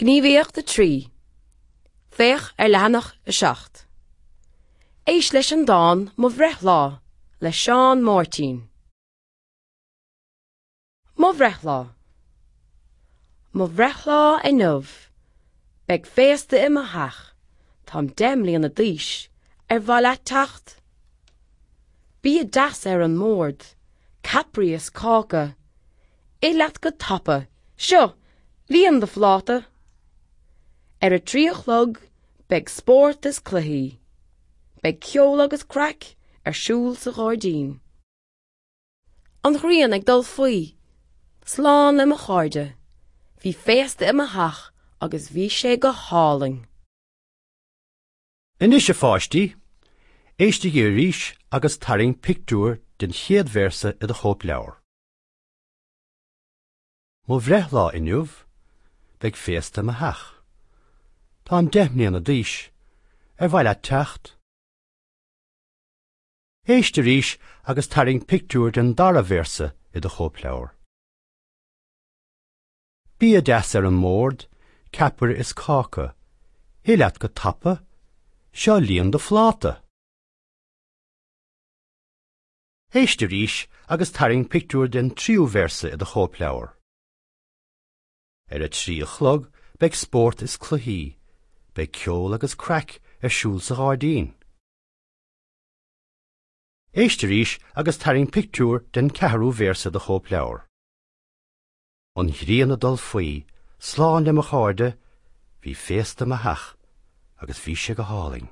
Gníomhaíocht 3. Féach ar leathanach 7. Éist leis an dán Mo Bhreithlá le Seán Máirtín. Mo Bhreithlá Mo bhreithlá inniu, beidh féasta i mo theach, táim 10 mbliana d'aois, ar mhaith leat teacht? Bia deas ar an mbord, ceapairí is cáca, Ith leat go tapa, seo, líon do phláta! Ar a 3 a chlog beidh spórt is cluichí. Beidh ceol agus craic ar siúl sa ghairdín. An ghrian ag dul faoi, slán le mo chairde. Bhí féasta i mo theach agus bhí sé go hálainn. Anois a pháistí, éistigí arís agus tarraing pictiúr den chéad véarsa i do chóipleabhar. Mo bhreithlá inniu, beidh féasta i mo theach. Táim 10 mbliana d'aois. Ar mhaith leat teacht? Éist arís agus tarraing pictiúr den dara véarsa i do chóipleabhar. Bia deas ar an mbord, ceapaire is cáca. Ith leat go tapa, seo líon do phláta! Éist arís agus tarraing pictiúr den tríú véarsa i do chóipleabhar. Ar a 3 a chlog beidh spórt is cluichí, beidh ceol agus craic ar siúl sa ghairdín. Éist arís agus tarraing pictiúr den ceathrú véarsa i do chóipleabhar. An ghrian ag dul faoi, slán le mo chairde, bhí féasta i mo theach agus bhí sé go hálainn.